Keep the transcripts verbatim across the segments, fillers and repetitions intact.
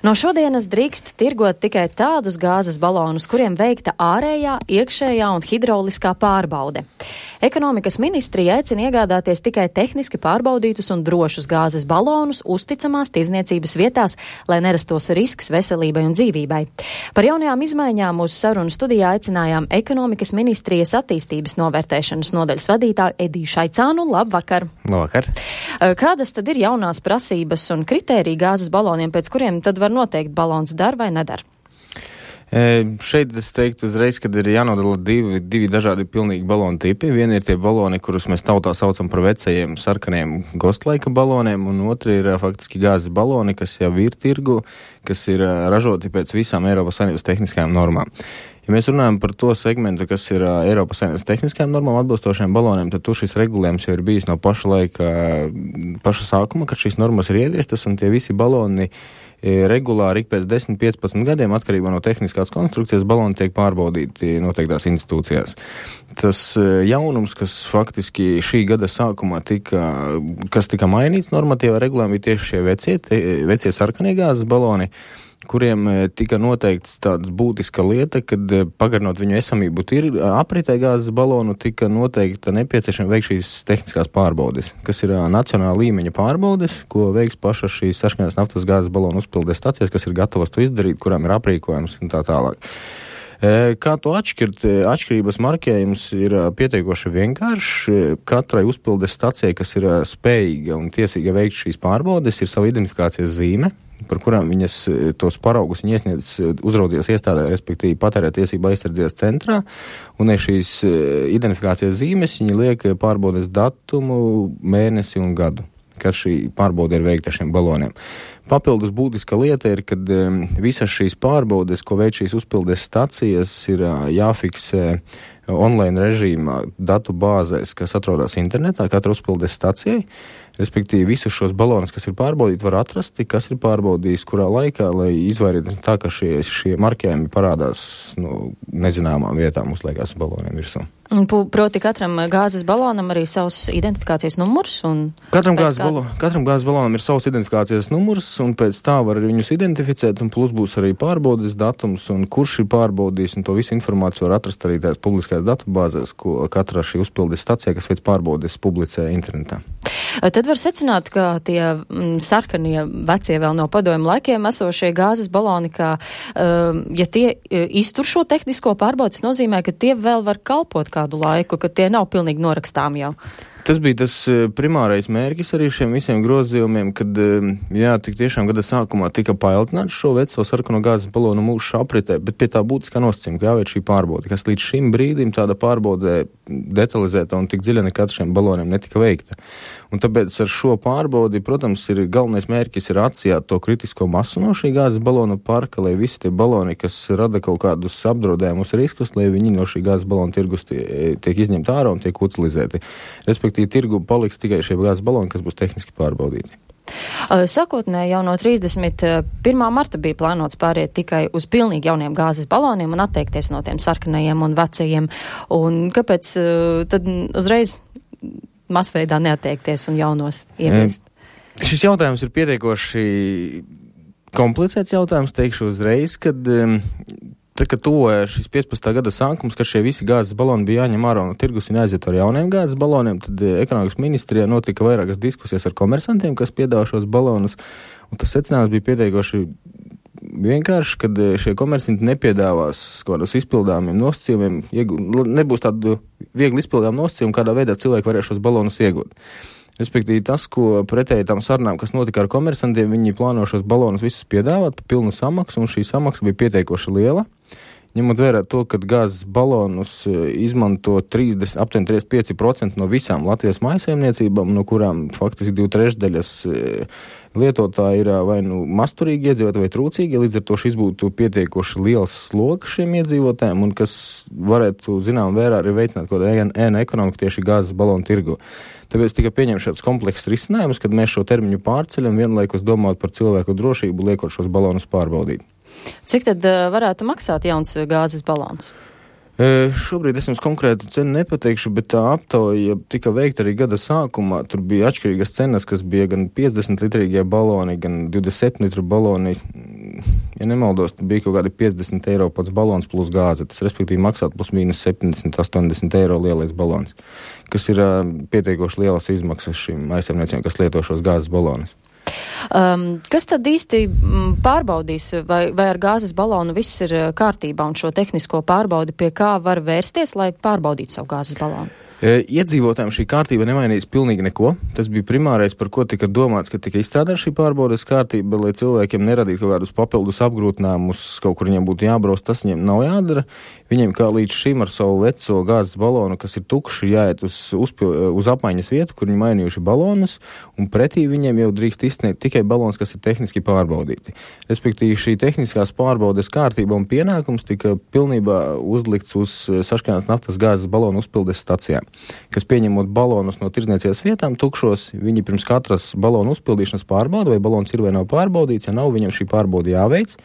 No šodienas drīkst tirgot tikai tādus gāzes balonus, kuriem veikta ārējā, iekšējā un hidrauliskā pārbaude. Ekonomikas ministrija aicina iegādāties tikai tehniski pārbaudītus un drošus gāzes balonus uzticamās tirzniecības vietās, lai nerastos risks veselībai un dzīvībai. Par jaunajām izmaiņām uz sarunu studijā aicinājām Ekonomikas ministrijas attīstības novērtēšanas nodaļas vadītāju Ediju Šaicānu. Labvakar! Labvakar! Kādas tad ir jaunās prasības un kritērija gāzes baloniem, pēc kuriem tad var noteikt balons dar vai nedar? E, šeit es teiktu uzreiz, kad ir jānodala divi, divi dažādi pilnīgi balonu tipi. Vieni ir tie baloni, kurus mēs tautā saucam par vecajiem sarkaniem gostlaika baloniem, un otri ir faktiski gāzes baloni, kas jau ir tirgu, kas ir ražoti pēc visām Eiropas Savienības tehniskajām normām. Ja mēs runājam par to segmentu, kas ir uh, Eiropas Savienības tehniskajām normām atbilstošiem baloniem, tad tur šis regulējums jau ir bijis no paša laika, paša sākuma, kad šīs normas ir ieviestas, un tie visi baloni e, regulāri ik pēc desmit līdz piecpadsmit gadiem, atkarībā no tehniskās konstrukcijas, baloni tiek pārbaudīti noteiktās institūcijās. Tas e, jaunums, kas faktiski šī gada sākumā tika, kas tika mainīts normatīvā regulējumā, bija tieši šie vecie, te, vecie sarkanie gāzes baloni, kuriem tika noteikts tāds būtiska lieta, kad pagarinot viņu esamību tir, apritē gāzes balonu, tika noteikta nepieciešama veikt šīs tehniskās pārbaudes, kas ir nacionāla līmeņa pārbaudes, ko veiks pašas šīs sarkanās naftas gāzes balonu uzpildes stacijas, kas ir gatavas to izdarīt, kurām ir aprīkojums un tā tālāk. Kā to atšķirt? Atšķirības marķējums ir pietiekoši vienkāršs. Katrai uzpildes stacijai, kas ir spējīga un tiesīga veikt šīs pārbaudes, ir sava identifikācijas zīme, par kurām viņas tos paraugus viņa iesniedz uzraudzības iestādē, respektīvi patērētiesība aizsardzības centrā, un šīs identifikācijas zīmes viņa liek pārbaudes datumu, mēnesi un gadu, kad šī pārbaude ir veikta šiem baloniem. Papildus būtiska lieta ir, kad um, visas šīs pārbaudes, ko veic šīs uzpildes stacijas, ir uh, jāfiksē online režīmā datu bāzēs, kas atrodas internetā, katra uzpildes stacijai. Respektīvi, visus šos balonus, kas ir pārbaudīti, var atrast, kas ir pārbaudījis, kurā laikā, lai izvairītu tā, ka šie, šie marķējumi parādās nu, nezināmām vietām uzliekās baloniem virsū. Proti katram gāzes balonam arī savs identifikācijas numurs? Un katram, gāzes kāda... balo, katram gāzes balonam ir savs identifikācijas numurs, un pēc tā var viņus identificēt, un plus būs arī pārbaudes datums, un kurš ir pārbaudījis, un to visu informāciju var atrast arī tās publiskās datubāzēs, ko katra šī uzpildes stacija, kas veic pārbaudes, publicē internetā. Tad var secināt, ka tie mm, sarkanie vecie vēl no padomju laikiem esošie gāzes baloni, ka, um, ja tie iztur šo tehnisko pārbaudi, tas nozīmē, ka tie vēl var kalpot kādu laiku, ka tie nav pilnīgi norakstām jau. Tas bija tas primārais mērķis arī šiem visiem grozījumiem, kad, jā, tik tiešām gada sākumā tika paildzināts šo veco sarkano gāzes balonu mūžu apritē, bet pie tā būtiskā nosacījuma, ka jāveic šī pārbaude, kas līdz šim brīdim tāda pārbaude detalizēta un tik dziļa nekad šiem baloniem netika veikta. Un tāpēc ar šo pārbaudi, protams, ir galvenais mērķis ir atsijāt to kritisko masu no šī gāzes balonu parka, lai visi tie baloni, kas rada kaut kādus apdraudējumus riskus, lai viņi no šī gāzes balonu tirgus tie, tiek izņemti ārā un tiek utilizēti. Respektīvi, tirgu paliks tikai šie gāzes baloni, kas būs tehniski pārbaudīti. Sākotnēji jau no trīsdesmit pirmā marta bija plānots pāriet tikai uz pilnīgi jauniem gāzes baloniem un atteikties no tiem sarkanajiem un vecajiem. Un kāpēc tad uzreiz masveidā neatteikties un jaunos ieviest? E, šis jautājums ir pietiekoši komplicēts jautājums, teikšu uzreiz, kad tad, kad tuvoja šis piecpadsmitā gada sākums, kad šie visi gāzes baloni bija jāņem ārā no tirgus un jāaiziet ar jauniem gāzes baloniem, tad ekonomikas ministrijā notika vairākas diskusijas ar komersantiem, kas piedāvā šos balonus, un tas secinājums bija pietiekoši vienkārši, kad šie komersanti nepiedāvās kādus izpildāmiem nosacījumiem, nebūs tādu viegli izpildāmu nosacījumu, kādā veidā cilvēki varēs šos balonus iegūt. Respektīvi tas, ko pretēji tam sarunām, kas notika ar komersantiem, viņi plāno šos balonus visus piedāvāt par pilnu samaksu, un šī samaksa bija pietiekoši liela. Ņemot vērā to, ka gāzes balonus izmanto trīsdesmit, aptuveni trīsdesmit pieci procenti no visām Latvijas mājsaimniecībām, no kurām faktiski divi trešdaļas lietotāji ir vai nu masturīgi iedzīvotāji vai trūcīgi, līdz ar to šis būtu pietiekoši liels sloks šiem iedzīvotājiem, un kas varētu, zinām, vērā arī veicināt kaut kādu ēnu ekonomiku tieši gāzes balonu tirgu. Tāpēc tika pieņemts šāds komplekss risinājums, kad mēs šo termiņu pārceļam, vienlaikus domāt par cilvēku drošību, liekot šos balonus pārbaudīt. Cik tad uh, varētu maksāt jauns gāzes balons? E, šobrīd es jums konkrētu cenu nepateikšu, bet tā aptauja tika veikta arī gada sākumā. Tur bija atšķirīgas cenas, kas bija gan piecdesmit litrīgie baloni, gan divdesmit septiņu litru baloni. ja nemaldos, bija kaut kādi piecdesmit eiro pats balons plus gāze. Tas, respektīvi, maksāt plus mīnus septiņdesmit, astoņdesmit eiro lielais balons, kas ir uh, pietiekoši lielas izmaksas šim aizsaimniecībām, kas lieto šos gāzes balonus. Um, kas tad īsti pārbaudīs, vai, vai ar gāzes balonu viss ir kārtībā un šo tehnisko pārbaudi pie kā var vērsties, lai pārbaudītu savu gāzes balonu? Iedzīvotājiem šī kārtība nemainīs pilnīgi neko. Tas bija primārais, par ko tika domāts, ka tika izstrādāta šī pārbaudes kārtība, lai cilvēkiem neradītu kaut kādus papildus apgrūtinājumus, kaut kur viņiem būtu jābrauc, tas viņiem nav jādara. Viņiem kā līdz šim ar savu veco gāzes balonu, kas ir tukši, jāiet uz, uzpil, uz apmaiņas vietu, kur viņi mainījuši balonus, un pretī viņiem jau drīkst izsniegt tikai balons, kas ir tehniski pārbaudīti. Respektīvi, šī tehniskās pārbaudes kārtība un pienākums tika pilnībā uzlikts uz sašķeltās naftas gāzes balonu uzpildes stacijām, kas pieņemot balonus no tirdzniecības vietām tukšos, viņi pirms katras balonu uzpildīšanas pārbauda, vai balons ir vai nav pārbaudīts, ja nav, viņam šī pārbauda jāveic.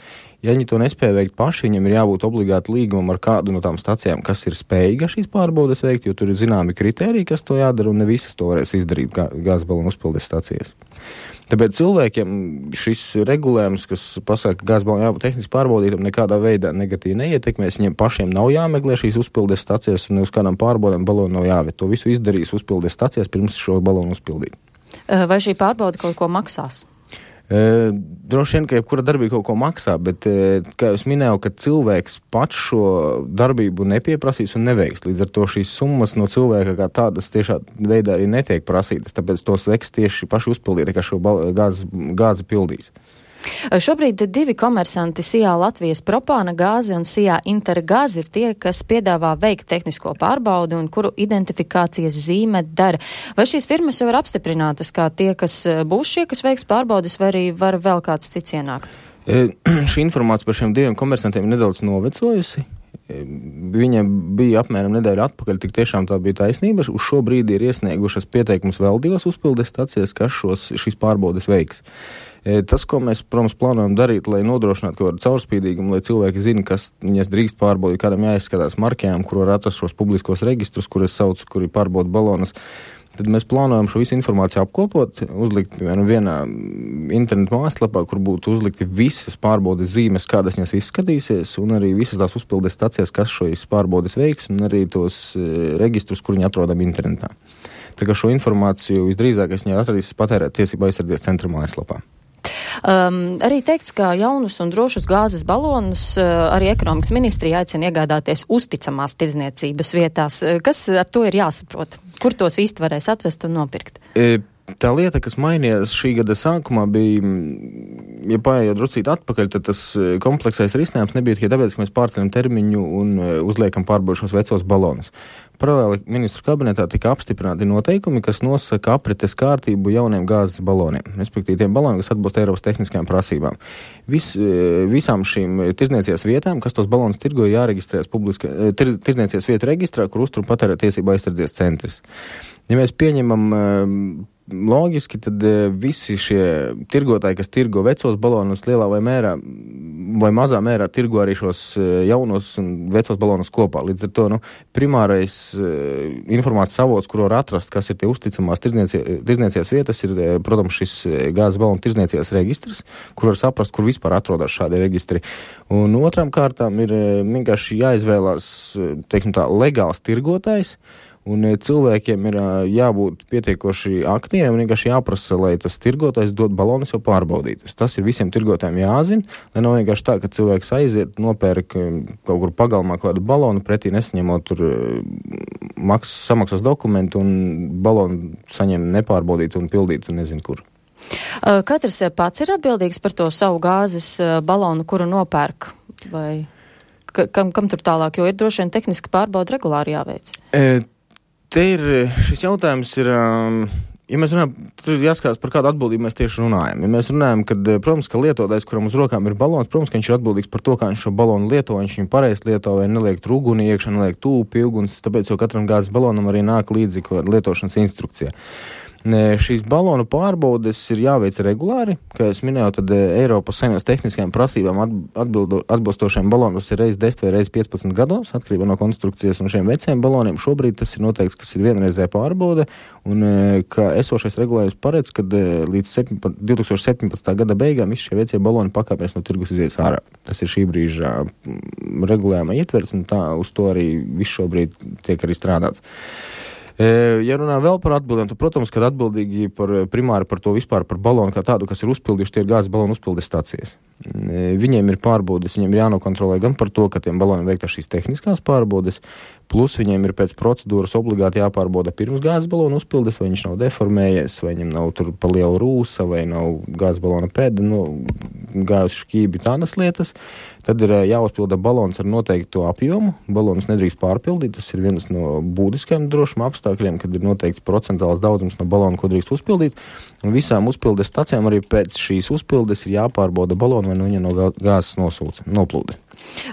Ja viņi to nespēja veikt paši, viņam ir jābūt obligāti līgumam ar kādu no tām stacijām, kas ir spējīga šīs pārbaudes veikt, jo tur ir zināmi kriteriji, kas to jādara, un ne visas to varēs izdarīt gā, gāzes balonu uzpildes stacijas. Tāpēc cilvēkiem šis regulējums, kas pasaka, ka gāzes balonu jābūt tehniski pārbaudītam, nekādā veidā negatīvi neietekmēs. Viņiem pašiem nav jāmeklē šīs uzpildes stacijas, un uz kādām pārbaudēm balonu nav jāved. To visu izdarīs uzpildes stacijas pirms šo balonu uzpildīt. Vai šī pārbauda kaut ko maksās? E, droši vien, ka jebkura darbība kaut ko maksā, bet, e, kā jau es minēju, ka cilvēks pats šo darbību nepieprasīs un neveiks. Līdz ar to šīs summas no cilvēka kā tādas tiešā veidā arī netiek prasītas, tāpēc tos veiks tieši paši uzpildīt, kā šo gāzi, gāzi pildīs. Šobrīd divi komersanti Sijā Latvijas Propāna gāze un Sijā Intergāze ir tie, kas piedāvā veikt tehnisko pārbaudi un kuru identifikācijas zīme dara. Vai šīs firmas jau ir apstiprinātas kā tie, kas būs šie, kas veiks pārbaudis, vai arī var vēl kāds cits ienākt? E, šī informācija par šiem diviem komersantiem nedaudz novecojusi. Viņa bija apmēram nedēļu atpakaļ, tik tiešām tā bija taisnība. Uz šo brīdi ir iesniegušas pieteikumus vēl divas uzpildes stacijas, kas šos, šīs pārbaudes veiks. Tas, ko mēs, protams, plānojam darīt, lai nodrošinātu kaut kādu caurspīdīgumu, lai cilvēki zina, kas viņas drīkst pārbaudīt, kādam jāizskatās markējām, kur var atrast šos publiskos registrus, kur es saucu, kuri pārbauda balonus. Tad mēs plānojam šo visu informāciju apkopot, uzlikt, piemēram, vienā internetu mājaslapā, kur būtu uzlikti visas pārbaudes zīmes, kādas viņas izskatīsies, un arī visas tās uzpildes stacijas, kas šīs pārbaudes veiks, un arī tos registrus, kur viņi atrodam internetā. Tā kā šo informāciju visdrīzākais viņi atradīs patērēt tiesību aizsardzības centra mājaslapā. Um, arī teikts, ka jaunus un drošus gāzes balonus uh, arī ekonomikas ministrija aicina iegādāties uzticamās tirdzniecības vietās. Kas ar to ir jāsaprot? Kur tos īsti varēs atrast un nopirkt? E, tā lieta, kas mainījās šī gada sākumā, bija, ja paējot druscīt atpakaļ, tad tas kompleksais risinājums nebija tikai tāpēc, ka mēs pārceļam termiņu un uzliekam pārbaušos vecos balonus. Paralēli ministru kabinetā tika apstiprināti noteikumi, kas nosaka aprites kārtību jauniem gāzes baloniem, respektīvi tiem baloniem, kas atbilst Eiropas tehniskajām prasībām. Vis, visām šīm tirdzniecības vietām, kas tos balonus tirgo, jāreģistrējas publiska tir, tirdzniecības vietu reģistrā, kur uztur patērēt tiesību aizsardzības centrs. Ja mēs pieņemam loģiski, tad visi šie tirgotāji, kas tirgo vecos balonus lielā vai mērā, vai mazā mērā tirgo arī šos jaunos un vecos balonus kopā. Līdz ar to, nu, primārais informācijas avots, kur var atrast, kas ir tie uzticamās tirdzniecības vietas, ir, protams, šis gāzes balonu tirdzniecības registrs, kur var saprast, kur vispār atrodas šādi registri. Un otram kārtām ir vienkārši jāizvēlās, teiksim tā, legāls tirgotājs, un cilvēkiem ir jābūt pietiekoši aktīviem un vienkārši jāprasa, lai tas tirgotājs dod balonus jau pārbaudītus. Tas ir visiem tirgotājiem jāzina, lai nav vienkārši tā, ka cilvēks aiziet, nopērk kaut kur pagalmā kādu balonu, pretī nesaņemot tur maks, samaksas dokumentu un balonu saņem nepārbaudīt un pildīt un nezinu kur. Katrs pats ir atbildīgs par to savu gāzes balonu, kuru nopērk, vai kam, kam tur tālāk, jo ir droši vien tehniski pārbauda regulāri jāveic? E, Te ir, šis jautājums ir, ja mēs runājam, tur ir jāskatās, par kādu atbildību mēs tieši runājam. Ja mēs runājam, kad, protams, ka lietotājs, kuram uz rokām ir balons, protams, ka viņš ir atbildīgs par to, kā viņš šo balonu lieto, viņš viņu pareizi lieto, vai neliek trūguni iekšā, neliek tūpi, uguns, tāpēc jau katram gāzes balonam arī nāk līdzi lietošanas instrukcija. Šīs balonu pārbaudes ir jāveic regulāri, kā es minēju, tad Eiropas Savienības tehniskajām prasībām atbildo, atbilstošiem baloniem ir reiz desmit vai reiz piecpadsmit gados, atkarībā no konstrukcijas, un šiem veciem baloniem šobrīd tas ir noteikts, kas ir vienreizē pārbaude, un ka esošais regulējums paredz, ka līdz divi tūkstoši septiņpadsmitā gada beigām visi šie vecie baloni pakāpēs no tirgus izies ārā. Tas ir šī brīža regulējuma ietverts, un tā uz to arī viss šobrīd tiek arī strādāts. Ja runā vēl par atbildēm, tad, protams, kad atbildīgi par primāri par to vispār par balonu kā tādu, kas ir uzpildījuši, tie ir gāzes balonu uzpildes stācijas. Viņiem ir pārbaudes, viņiem ir jānokontrolē gan par to, ka tiem baloniem veikta šīs tehniskās pārbaudes, plus viņiem ir pēc procedūras obligāti jāpārbauda pirms gāzes balonu uzpildes, vai viņš nav deformējies, vai viņam nav tur pa liela rūsa, vai nav gāzes balona pēda, nu, gāzes šķībi, tādas lietas. Tad ir jāuzpilda balons ar noteiktu apjomu. Balons nedrīkst pārpildīt, tas ir viens no būtiskajiem drošuma apstākļiem, kad ir noteikts procentāls daudzums no balona, ko drīkst uzpildīt. Un visām uzpildes stacijām arī pēc šīs uzpildes ir jāpārbauda balonu, vai no viņa no gāzes nosūca, noplūde.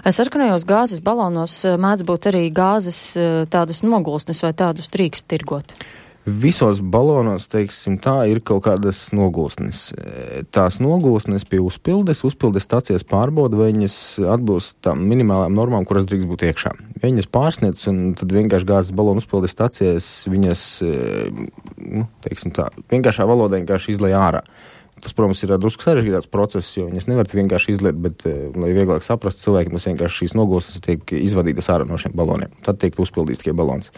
Sarkanajos gāzes balonos mēdz būt arī gāzes tādas nogulsnes vai tādus drīkst tirgot? Visos balonos, teiksim tā, ir kaut kādas nogulsnes. Tās nogulsnes pie uzpildes, uzpildes stācijas pārbauda, vai viņas atbilst tām minimālām normām, kuras drīkst būt iekšā. Ja viņas pārsniedz, un tad vienkārši gāzes balonu uzpildes stācijas viņas, nu, teiksim tā, vienkāršā valodā vienkārši izlej ārā. Tas, protams, ir drusku sarežģītāks process, jo viņas nevar vienkārši izliet, bet, lai vieglāk saprast cilvēkiem, tas vienkārši šīs nogulsnes tiek izvadītas ārā no šiem baloniem. Tad tiek uzpildīts tikai balons.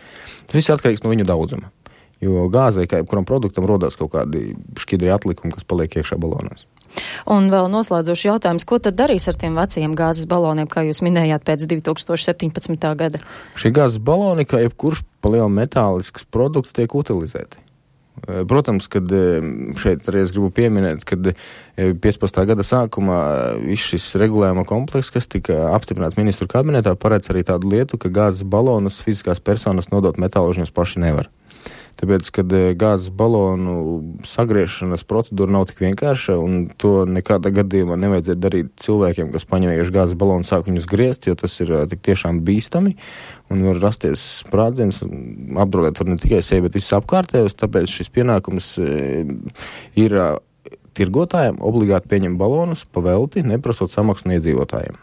Tas viss atkarīgs no viņu daudzuma. Jo gāzei, kā jebkuram produktam, rodās kaut kādi šķidri atlikumi, kas paliek iekšā balonos. Un vēl noslēdzoši jautājums, ko tad darīs ar tiem vecajiem gāzes baloniem, kā jūs minējāt, pēc divi tūkstoši septiņpadsmitā gada? Šie gāzes baloni, kā jebkurš pa lielu metālisks produkts, tiek utilizēti. Protams, kad šeit arī es gribu pieminēt, kad piecpadsmitā gada sākumā viss šis regulējuma komplekss, kas tika apstiprināts ministru kabinetā, paredz arī tādu lietu, ka gāzes balonus fiziskās personas nodot metālūžņos paši nevar. Tāpēc, kad gāzes balonu sagriešanas procedūra nav tik vienkārša, un to nekādā gadījumā nevajadzētu darīt cilvēkiem, kas paņem vienkārši gāzes balonu un sāk viņus griezt, jo tas ir tik tiešām bīstami, un var rasties sprādziens, apdraudēt var ne tikai sevi, bet visus apkārtējos, tāpēc šis pienākums ir tirgotājiem obligāti pieņem balonus pa velti, neprasot samaksu no iedzīvotājiem.